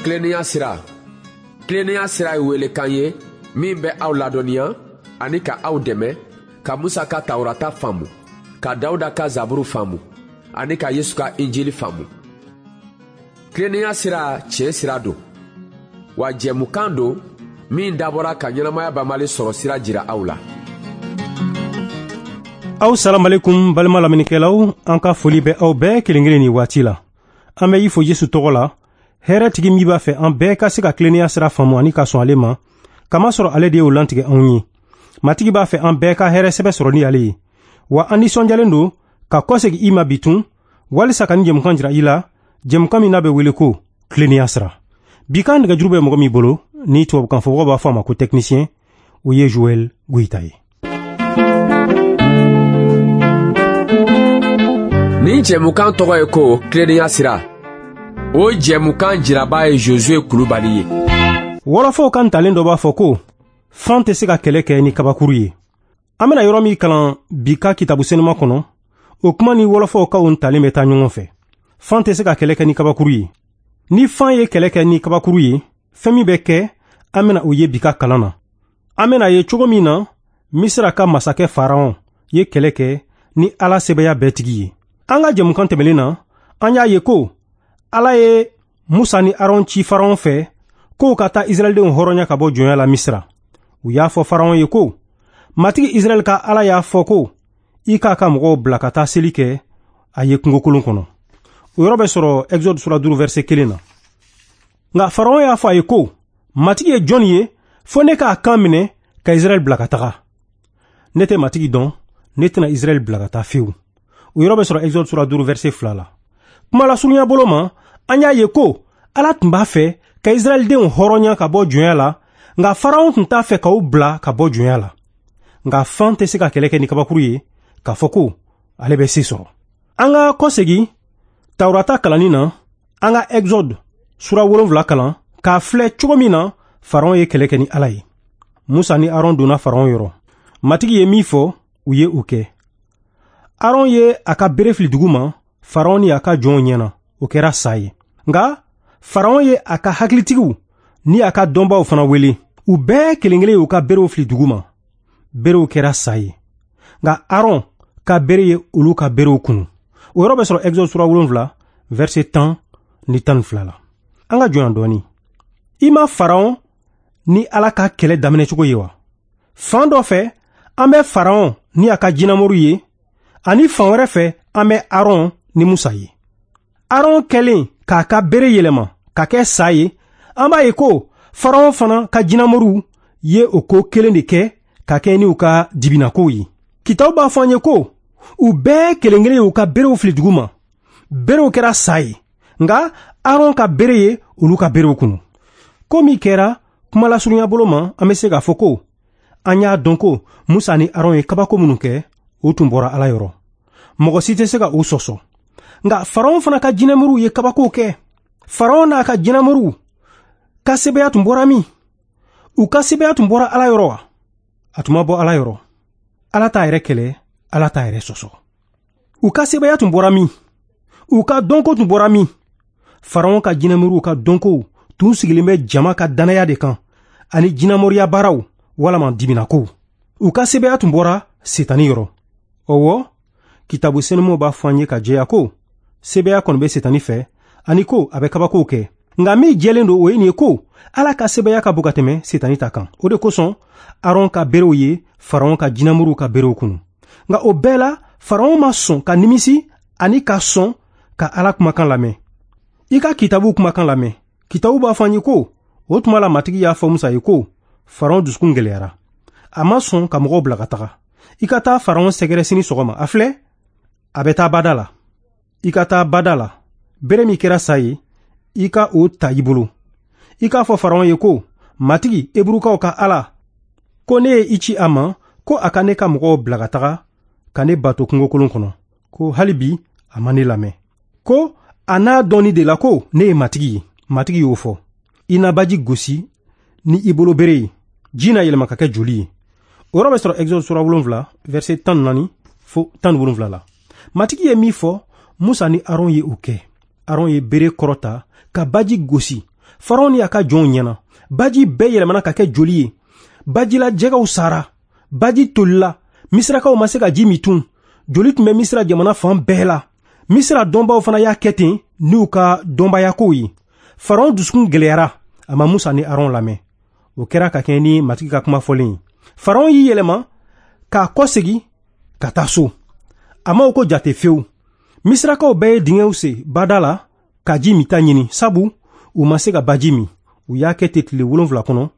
Tilennenya sira. Tilennenya sira ye welekan ye min bɛ aw ladɔnniya ani ka aw dɛmɛ ka Musa ka Tawurata faamu, ka Dawuda ka Zaburu faamu ani ka Yesu ka Injili faamu. Tilennenya sira tiɲɛ sira don, wa jɛmukan don min dabɔra ka ɲɛnamaya banbali sɔrɔ sira jira aw la. Aw salamalekum balima lamɛnnikɛlaw, an ka foli bɛ aw bɛɛ kelen kelen nin waati la. An bɛ i fo Yesu tɔgɔ la, hɛrɛ tigi min b'a fɛ an bɛɛ ka se ka tilennenya sira faamu ani ka sɔn ale ma, kamasɔrɔ ale de y'o lantigɛ anw ye. Matigi b'a fɛ an bɛɛ ka hɛrɛ sɛbɛ sɔrɔ ni ale ye. Wa an nisɔndiyalen don ka kɔsegin i ma bitun walisa ka nin jɛmukan jira i la, jɛmukan min n'a bɛ wele ko tilennenya sira. Bi kan nɛgɛjuru bɛ mɔgɔ min bolo, ni tubabukan fɔbagaw b'a fɔ a ma ko technicien, o ye Joël Goïta ye. Nin jɛmukan tɔgɔ ye ko tilennenya sira. O jɛmukan jiraba ye Josué Kulubali ye. Wɔlɔfɔw ka ntalen dɔ b'a fɔ ko fan tɛ se ka kɛlɛ kɛ ni kabakuru ye. An bɛna yɔrɔ min kalan bi ka kitabu senuma kɔnɔ, o kuma ni wɔlɔfɔw ka o ntalen bɛ taa ɲɔgɔn fɛ. Fan tɛ se ka kɛlɛ kɛ ni kabakuru ye. Ni fan ye kɛlɛ kɛ ni kabakuru ye, fɛn min bɛ kɛ, an bɛna o ye bi ka kalan na. An bɛna ye cogo min na Misira ka masakɛ Faraon ye kɛlɛ kɛ ni Ala sebaaya bɛɛ tigi ye. An ka jɛmukan tɛmɛlen na, an y'a ye ko Ala ye Musa ni Aron ci Faraon fɛ k'o ka taa Israɛldenw hɔrɔnya ka bɔ jɔnya la Misira. U y'a fɔ Faraon ye ko Matigi Israɛl ka Ala y'a fɔ ko i k'a ka mɔgɔw bila ka taa seli kɛ a ye kungokolon kɔnɔ. O yɔrɔ bɛ sɔrɔ Exode sura 5 verset 1 na. Nka Faraon y'a fɔ a ye ko Matigi ye jɔn ye fo ne k'a kan minɛ ka Israɛl bila ka taga. Ne tɛ Matigi dɔn, ne tɛna Israɛl bila ka taa fewu. O yɔrɔ bɛ sɔrɔ Exode sura 5 verset 2 la. Kuma lasurunya bolo ma, an y'a ye ko Ala tun b'a fɛ ka Israɛldenw hɔrɔnya ka bɔ jɔnya la, nka Faraon tun t'a fɛ k'u bila ka bɔ jɔnya la. Nka fan tɛ se ka kɛlɛ kɛ ni kabakuru ye k'a fɔ ko ale bɛ se sɔrɔ. An ka kɔsegin Tawurata kalanni na, an ka Exode sura 7 kalan k'a filɛ cogo min na Faraon ye kɛlɛ kɛ ni Ala ye. Musa ni Aron donna Faraon yɔrɔ. Matigi ye min fɔ, u ye o kɛ. Aron ye a ka bere fili dugu ma, Faraon ni a ka jɔnw ɲɛna, o kɛra sa ye. Nka Faraon ye a ka hakilitigiw ni a ka dɔnbaaw fana wele. U bɛɛ kelen kelen y'u ka berew fili dugu ma. Berew kɛra sa ye. Nka Aron ka bere ye olu ka berew kunu. O yɔrɔ bɛ sɔrɔ Exode sura 7 verset 10 ni 12 la. An ka jɔ yan dɔɔni. I ma Faraon ni Ala ka kɛlɛ daminɛ cogo ye wa? Fan dɔ fɛ, an bɛ Faraon ni a ka jinɛmoriw ye, ani fan wɛrɛ fɛ, an bɛ Aron ni Musa ye. Aron kɛlen k'a ka bere yɛlɛma ka kɛ sa ye, an b'a ye ko Faraon fana ka jinɛmoriw ye o ko kelen de kɛ ka kɛ ni u ka dibinakow ye. Kitabu b'a fɔ an ye ko u bɛɛ kelen kelen y'u ka berew fili dugu ma. Berew kɛra sa ye, nka Aron ka bere ye olu ka berew kunu. Ko min kɛra kuma lasurunya bolo ma, an bɛ se k'a fɔ ko an y'a dɔn ko Musa ni Aron ye kabako minnu kɛ, o tun bɔra Ala yɔrɔ. Mɔgɔ si tɛ se ka o sɔsɔ. Nka Faraon fana ka jinɛmoriw ye kabakow kɛ. Faraon n'a ka jinɛmoriw ka sebaaya tun bɔra min? U ka sebaaya tun bɔra Ala yɔrɔ wa? A tun ma bɔ Ala yɔrɔ. Ala t'a yɛrɛ kɛlɛ, Ala t'a yɛrɛ sɔsɔ. U ka sebaaya tun bɔra min? U ka dɔnko tun bɔra min? Faraon ka jinɛmoriw ka dɔnkow tun sigilen bɛ jama ka dannaya de kan ani jinɛmoriya baaraw walama dibinakow. U ka sebaaya tun bɔra Setani yɔrɔ. Ɔwɔ, kitabu senumaw b'a fɔ an ye ka jɛya ko sebaaya kɔni bɛ Setani fɛ ani ko a bɛ kabakow kɛ. Nka min jɛlen don o ye nin ye ko Ala ka sebaaya ka bon ka tɛmɛ Setani ta kan. O de kosɔn Aron ka berew ye Faraon ka jinɛmoriw ka berew kunu. Nka o bɛɛ la, Faraon ma sɔn ka nimisi ani ka sɔn ka Ala kumakan lamɛn. I ka kitabuw kumakan lamɛn. Kitabu b'a fɔ an ye ko o tuma la Matigi y'a fɔ Musa ye ko Faraon dusukun gɛlɛyara. A ma sɔn ka mɔgɔw bila ka taga. I ka taa Faraon sɛgɛrɛ sini sɔgɔma. A filɛ, a bɛ taa bada la. I ka taa bada la. Bere min kɛra sa ye, i ka o ta i bolo. I k'a fɔ Faraon ye ko Matigi Eburukaw ka Ala ko ne ye i ci a ma ko a ka ne ka mɔgɔw bila ka taga ka ne bato kungokolon kɔnɔ, ko hali bi a ma ne lamɛn. Ko a n'a dɔnni de la ko ne ye Matigi ye. Matigi y'o fɔ. I na baji gosi ni i bolo bere ye, ji na yɛlɛma ka kɛ joli ye. O yɔrɔ bɛ sɔrɔ Exode sura 7 verset 14 fo 17 la. Matigi ye min fɔ, Musa ni Aron ye o kɛ. Aron ye bere kɔrɔta ka baji gosi. Faraon ni a ka jɔnw ɲɛna. Baji bɛɛ yɛlɛmana ka kɛ joli ye. Bajila jɛgɛw sara, baji tolila, Misirakaw ma se ka ji min tun. Joli tun bɛ Misira jamana fan bɛɛ la. Misira dɔnbaw fana y'a kɛ ten n'u ka dɔnbayakow ye. Faraon dusukun gɛlɛyara, a ma Musa ni Aron lamɛn. O kɛra ka kɛɲɛ ni Matigi ka kuma fɔlen ye. Faraon y'i yɛlɛma k'a kɔsegin ka taa so. A ma o ko jate fewu. Misirakaw bɛɛ ye dingɛw sen bada la ka ji minta ɲini, sabu u ma se ka baji min. U y'a kɛ ten tile 7 kɔnɔ,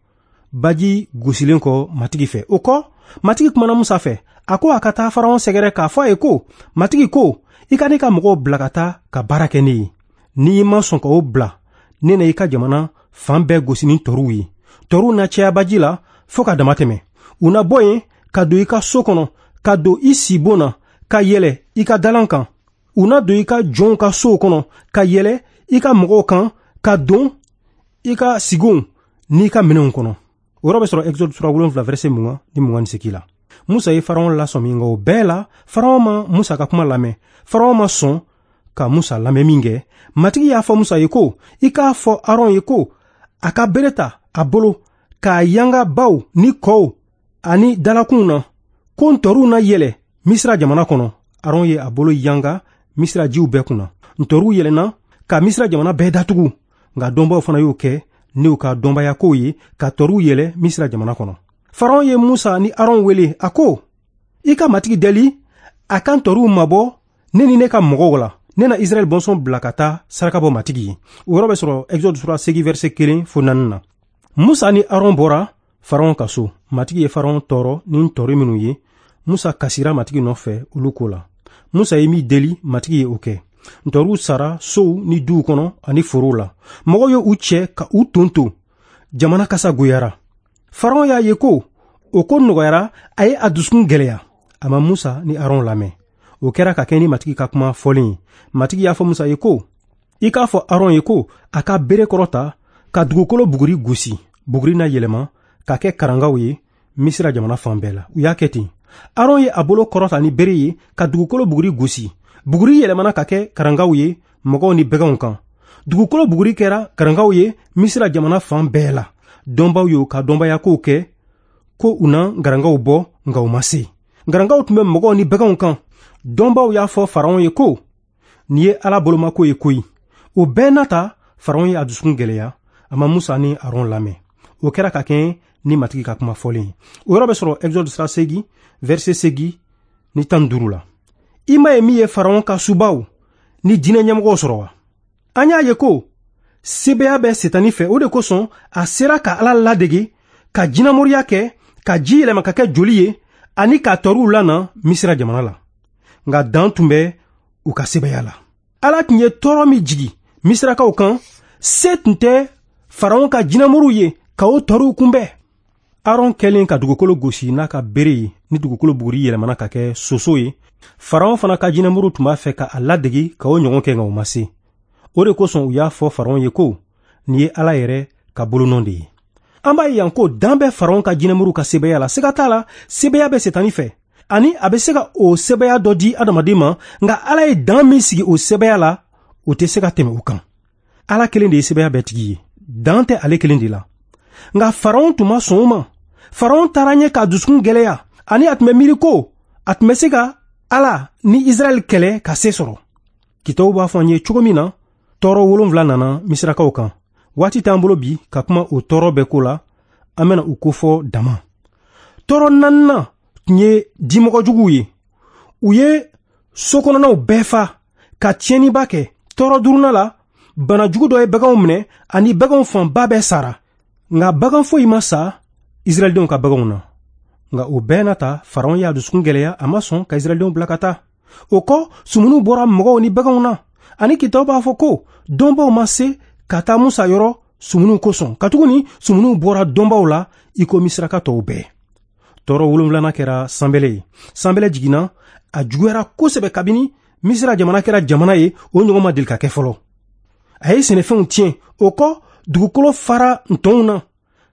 baji gosilen kɔ Matigi fɛ. O kɔ, Matigi kumana Musa fɛ. A ko a ka taa Faraon sɛgɛrɛ k'a fɔ a ye ko, Matigi ko, i ka ne ka mɔgɔw bila ka taa ka baara kɛ ne ye. N'i ma sɔn ka o bila, ne na i ka jamana fan bɛɛ gosi ni tɔɔrɔw ye. Tɔɔrɔw na caya baji la fo ka dama tɛmɛ. U na bɔ yen ka don i ka so kɔnɔ, ka don i sibon na, ka yɛlɛ i ka dalan kan. U na don i ka jɔnw ka sow kɔnɔ, ka yɛlɛ i ka mɔgɔw kan, ka don i ka sigonw n'i ka minɛnw kɔnɔ. O yɔrɔ bɛ sɔrɔ Exode sura 7 verset 20 ni 28 la. Musa ye Faraon lasɔmi, nka o bɛɛ la Faraon ma Musa ka kuma lamɛn. Faraon ma sɔn ka Musa lamɛn min kɛ, Matigi y'a fɔ Musa ye ko, i k'a fɔ Aron ye ko a ka bere ta a bolo k'a yanga baw ni kɔw ani dalakunw na, ko ntɔriw na yɛlɛ Misira jamana kɔnɔ. Aron ye a bolo yanga Misira jiw bɛɛ kunna. Ntɔriw yɛlɛnna ka Misira jamana bɛɛ datugu, nka dɔnbaw fana y'o kɛ n'u ka dɔnbayakow ye ka tɔriw yɛlɛ Misira jamana kɔnɔ. Faraon ye Musa ni Aron wele, a ko, i ka Matigi deli a ka ntɔriw mabɔ ne ni ne ka mɔgɔw la. Ne na Israɛl bɔnsɔn bila ka taa saraka bɔ Matigi ye. O yɔrɔ bɛ sɔrɔ Exode sura 8 verset 1 fo 4 na. Musa ni Aron bɔra Faraon ka so. Matigi ye Faraon tɔɔrɔ ni ntɔri minnu ye, Musa kasira Matigi nɔfɛ olu ko la. Musa ye min deli, Matigi ye o kɛ. Ntɔriw sara sow ni duw kɔnɔ ani forow la. Mɔgɔw ye u cɛ ka u ton. Jamana kasa goyara. Faraon y'a ye ko o ko nɔgɔyara, a ye a dusukun gɛlɛya. A ma Musa ni Aron lamɛn. O kɛra ka kɛ ni Matigi ka kuma fɔlen ye. Matigi y'a fɔ Musa ye ko, i k'a fɔ Aron ye ko a ka bere kɔrɔta ka dugukolo buguri gosi. Buguri na yɛlɛma ka kɛ karangaw ye Misira jamana fan bɛɛ la. U y'a kɛ ten. Aron ye a bolo kɔrɔta ni bere ye ka dugukolo buguri gosi. Buguri yɛlɛmana ka kɛ karangaw ye mɔgɔw ni baganw kan. Dugukolo buguri kɛra karangaw ye Misira jamana fan bɛɛ la. Dɔnbaw y'u ka dɔnbayakow kɛ ko u na garangaw bɔ, nka u ma se. Garangaw tun bɛ mɔgɔw ni baganw kan. Dɔnbaw y'a fɔ Faraon ye ko, nin ye Ala bolomako ye koyi. O bɛɛ n'a ta, Faraon ye a dusukun gɛlɛya. A ma Musa ni Aron lamɛn. O kɛra ka kɛɲɛ ni Matigi ka kuma fɔlen ye. O yɔrɔ bɛ sɔrɔ Exode sura 8 verset 8 ni 15 la. I m'a ye min ye Faraon ka subaw ni jinɛ ɲɛmɔgɔw sɔrɔ wa? An y'a ye ko sebeya bɛ Setani fɛ, o de kosɔn a sera ka Ala ladege, ka jinɛmoriya kɛ, ka ji yɛlɛma ka kɛ joli ye, ani ka tɔɔrɔw lana Misira jamana la. Nka dan tun bɛ u ka sebeya la. Ala tun ye tɔɔrɔ min jigi Misirakaw kan, se tun tɛ Faraon ka jinɛmoriw ye ka o tɔɔrɔw kunbɛn. Aron kɛlen ka dugukolo gosi n'a ka bere ye, ni dugukolo buguri yɛlɛmana ka kɛ soso ye, Faraon fana ka jinɛmoriw tun b'a fɛ ka a ladege ka o ɲɔgɔn kɛ, nka u ma se. O de kosɔn u y'a fɔ Faraon ye ko, nin ye Ala yɛrɛ ka bolonɔ de ye. An b'a ye yan ko dan bɛ Faraon ka jinɛmoriw ka sebeya la. Siga t'a la, sebeya bɛ Setani fɛ, ani a bɛ se ka o sebeya dɔ di adamaden ma, nka Ala ye dan min sigi o sebeya la, o tɛ se ka tɛmɛ o kan. Ala kelen de ye sebeya bɛɛ tigi ye, dan tɛ ale kelen de la. Nka Faraon tun ma sɔn o ma. Faraon taara ɲɛ k'a dusukun gɛlɛya, ani a tun bɛ miiri ko a tun bɛ se ka Ala ni Israɛl kɛlɛ ka se sɔrɔ. Kitabu b'a fɔ an ye cogo min na, tɔɔrɔ 7 nana Misirakaw kan. Waati t'an bolo bi ka kuma o tɔɔrɔ bɛɛ ko la, an bɛna u kofɔ dama. Tɔɔrɔ 4nan tun ye dimɔgɔjuguw ye. U ye sokɔnɔnaw bɛɛ fa ka tiɲɛniba kɛ. Tɔɔrɔ 5nan la, banajugu dɔ ye baganw minɛ, ani baganw fanba bɛɛ sara. Nka bagan foyi ma sa Israɛldenw ka baganw na. Nka o bɛɛ n'a ta, Faraon y'a dusukun gɛlɛya, a ma sɔn ka Israɛldenw bila ka taa. O kɔ, sumuniw bɔra mɔgɔw ni baganw na. Ani kitabu b'a fɔ ko dɔnbaw ma se ka taa Musa yɔrɔ sumuniw kosɔn, katuguni sumuniw bɔra dɔnbaw la i ko Misiraka tɔw bɛɛ. Tɔɔrɔ 7nan kɛra sanbɛlɛ ye. Sanbɛlɛ jiginna, a juguyara kosɛbɛ kabini Misira jamana kɛra jamana ye, o ɲɔgɔn ma deli ka kɛ fɔlɔ. A ye sɛnɛfɛnw tiɲɛ. O kɔ, dugukolo fara ntɔnw na.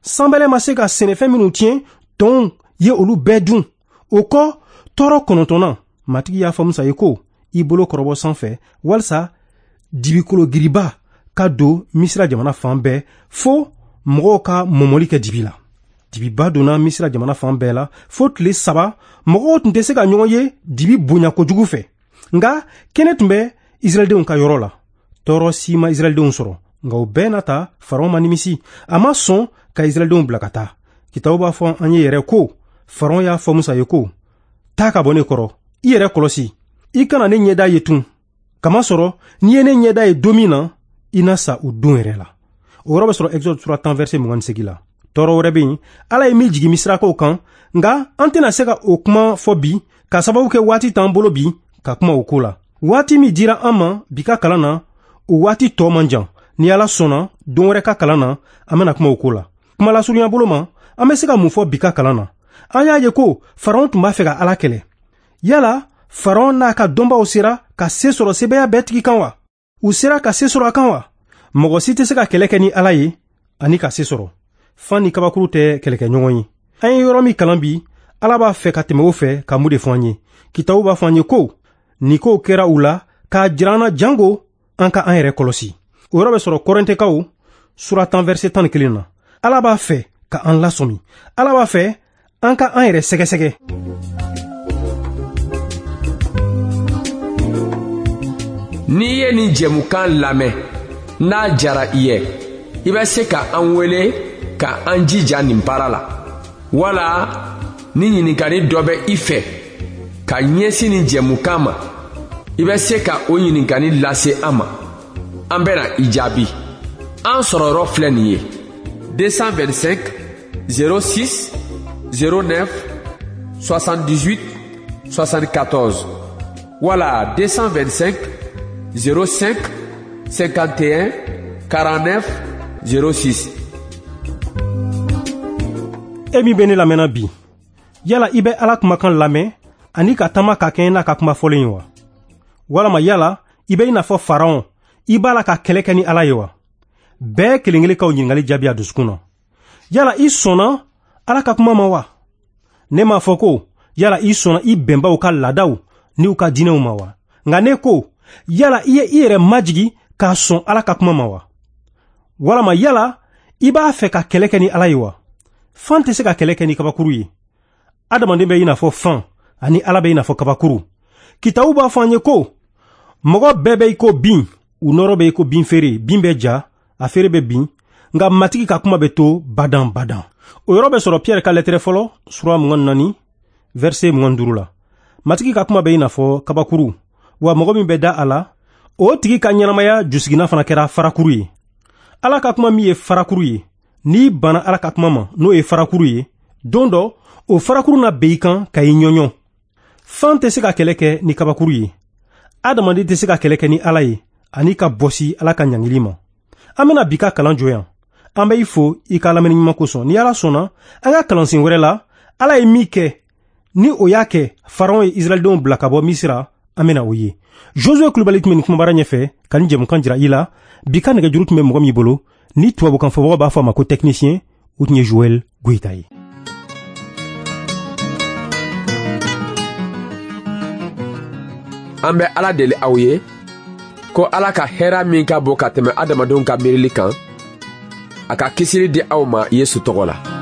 Sanbɛlɛ ma se ka sɛnɛfɛn minnu tiɲɛ, tɔnw ye olu bɛɛ dun. O kɔ, tɔɔrɔ 9nan, Matigi y'a fɔ Musa ye ko, i bolo kɔrɔbɔ sanfɛ walisa dibikologiriba ka don Misira jamana fan bɛɛ fo mɔgɔw ka mɔmɔli kɛ dibi la. Dibiba donna Misira jamana fan bɛɛ la fo tile 3, mɔgɔw tun tɛ se ka ɲɔgɔn ye dibi bonya kojugu fɛ. Nka kɛnɛ tun bɛ Israɛldenw ka yɔrɔ la. Tɔɔrɔ si ma Israɛldenw sɔrɔ, nka o bɛɛ n'a ta Faraon ma nimisi. A ma sɔn ka Israɛldenw bila ka taa. Kitabu b'a fɔ an ye yɛrɛ ko Faraon y'a fɔ Musa ye ko: taa ka bɔ ne kɔrɔ, i yɛrɛ kɔlɔsi, i kana ne ɲɛda ye tun. Kamasɔrɔ n'i ye ne ɲɛda ye don min na, i na sa o don yɛrɛ la. O yɔrɔ bɛ sɔrɔ Exode sura 10 verset 28 la. Tɔɔrɔ wɛrɛ bɛ yen, Ala ye min jigin Misirakaw kan, nka an tɛna se ka o kuma fɔ bi, ka sababu kɛ waati t'an bolo bi ka kuma o ko la. Waati min dira an ma bi ka kalan na, o waati tɔ man jan. Ni Ala sɔnna, don wɛrɛ ka kalan na, an bɛna kuma o ko la. Kuma lasurunya bolo ma, an bɛ se ka mun fɔ bi ka kalan na? An y'a ye ko Faraon tun b'a fɛ ka Ala kɛlɛ. Yala Faraon n'a ka dɔnbaw sera ka se sɔrɔ sebaaya bɛɛ tigi kan wa? U sera ka se sɔrɔ a kan wa? Mɔgɔ si tɛ se ka kɛlɛ kɛ ni Ala ye ani ka se sɔrɔ. Fan ni kabakuru tɛ kɛlɛkɛɲɔgɔn ye. An ye yɔrɔ min kalan bi, Ala b'a fɛ ka tɛmɛ o fɛ ka mun de fɔ an ye? Kitabu b'a fɔ an ye ko nin kow kɛra u la k'a jira an na jango an ka an yɛrɛ kɔlɔsi. O yɔrɔ bɛ sɔrɔ Kɔrɛntɛkaw sura 10 verset 11 na. Ala b'a fɛ ka an lasɔmi. Ala b'a fɛ an ka an yɛrɛ sɛgɛsɛgɛ. N'i ye nin jɛmukan lamɛn, n'a jara i ye, i bɛ se ka an wele ka an jija nin baara la. Wala ni ɲininkali dɔ bɛ i fɛ ka ɲɛsin nin jɛmukan ma, i bɛ se ka o ɲininkali lase an ma. An bɛna i jaabi. An sɔrɔ yɔrɔ filɛ nin ye: 225 06 09 78 74 wala 225 05 51 49 06. E min bɛ ne lamɛnna bi, yala i bɛ Ala kumakan lamɛn ani ka taama ka kɛɲɛ n'a ka kuma fɔlen ye wa? Walama yala i bɛ i n'a fɔ Faraon, i b'a la ka kɛlɛ kɛ ni Ala ye wa? Bɛɛ kelen kelen k'aw ɲininkali jaabi a dusukun na. Yala i sɔnna Ala ka kuma ma wa? Ne m'a fɔ ko yala i sɔnna i bɛnbaw ka laadaw n'u ka diinɛw ma wa? Nka ne ko yala i ye i yɛrɛ majigi k'a sɔn Ala ka kuma ma wa? Walama yala i b'a fɛ ka kɛlɛ kɛ ni Ala ye wa? Fan tɛ se ka kɛlɛ kɛ ni kabakuru ye. Adamaden bɛ i n'a fɔ fan, ani Ala bɛ i n'a fɔ kabakuru. Kitabu b'a fɔ an ye ko mɔgɔ bɛɛ bɛ i ko bin, u nɔrɔ bɛ i ko bin feere, bin bɛ ja, a feere bɛ bin, nka Matigi ka kuma bɛ to badan badan. O yɔrɔ bɛ sɔrɔ Pierre ka lɛtɛrɛ fɔlɔ sura 24 verset 25 la. Matigi ka kuma bɛ i n'a fɔ kabakuru, wa mɔgɔ min bɛ da a la, o tigi ka ɲɛnamaya jusiginna fana kɛra farakuru ye. Ala ka kuma min ye farakuru ye, n'i banna Ala ka kuma ma, n'o ye farakuru ye, don dɔ o farakuru na ben i kan ka i ɲɔɲɔ. Fan tɛ se ka kɛlɛ kɛ ni kabakuru ye. Adamaden tɛ se ka kɛlɛ kɛ ni Ala ye ani ka bɔsi Ala ka ɲangili ma. An bɛna bi ka kalan jɔ yan. An bɛ i fo i ka lamɛnni ɲuman kosɔn. Ni Ala sɔnna, an ka kalansen wɛrɛ la, Ala ye min kɛ ni o y'a kɛ Faraon ye Israɛldenw bila ka bɔ Misira, an bɛna o ye. Josue Kulubali tun bɛ nin kumabara ɲɛfɛ ka nin jɛmukan jira i la. Bi ka nɛgɛjuru tun bɛ mɔgɔ min bolo, ni tubabukan fɔbagaw b'a fɔ a ma ko technicien, o tun ye Joël Goïta ye. An bɛ Ala deli aw ye ko Ala ka hɛrɛ min ka bon ka tɛmɛ adamadenw ka miirili kan, a ka kisili di aw ma Yesu tɔgɔ la.